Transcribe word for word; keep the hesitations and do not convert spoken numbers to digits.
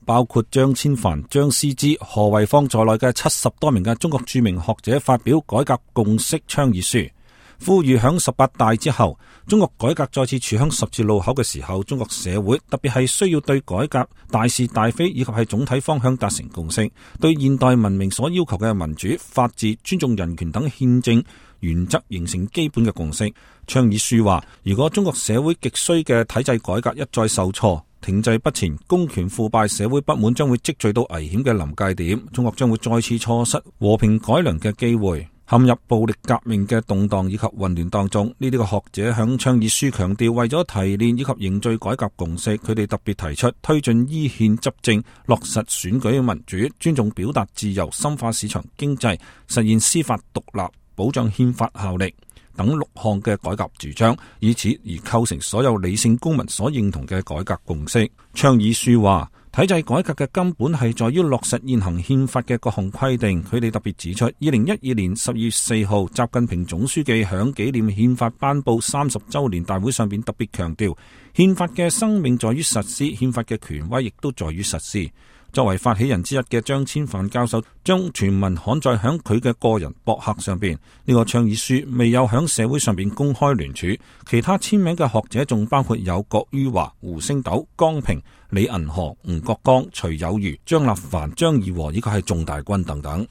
包括張千帆、張思之、何惠芳在內嘅七十多名嘅中國著名學者發表改革共識倡議書，呼籲響十八大之後，中國改革再次處響十字路口嘅時候，中國社會特別係需要對改革大是大非以及係總體方向達成共識，對現代文明所要求嘅民主、法治、尊重人權等憲政原則形成基本嘅共識。倡議書話，如果中國社會極需嘅體制改革一再受挫、停滯不前，公權腐敗，社會不滿將會積聚到危險嘅臨界點，中國將會再次錯失和平改良嘅機會，陷入暴力革命嘅動盪以及混亂當中。呢啲個學者響倡議書強調，為咗提煉以及凝聚改革共識，佢哋特別提出推進依憲執政、落實選舉民主、尊重表達自由、深化市場經濟、實現司法獨立、保障憲法效力等六項嘅改革主張，以此而構成所有理性公民所認同嘅改革共識。倡議書話，體制改革嘅根本係在於落實現行憲法嘅各項規定。佢哋特別指出，二零一二年十二月四號，習近平總書記響紀念憲法頒布三十周年大會上邊特別強調，憲法嘅生命在於實施，憲法嘅權威亦都在於實施。作為發起人之一嘅張千帆教授將全文刊載響佢嘅個人博客上邊。呢個倡議書未有響社會上邊公開聯署，其他簽名嘅學者仲包括有郭于華、胡星斗、江平、李銀河、吳國剛、徐有餘、張立凡、張義和以及係仲大軍等等。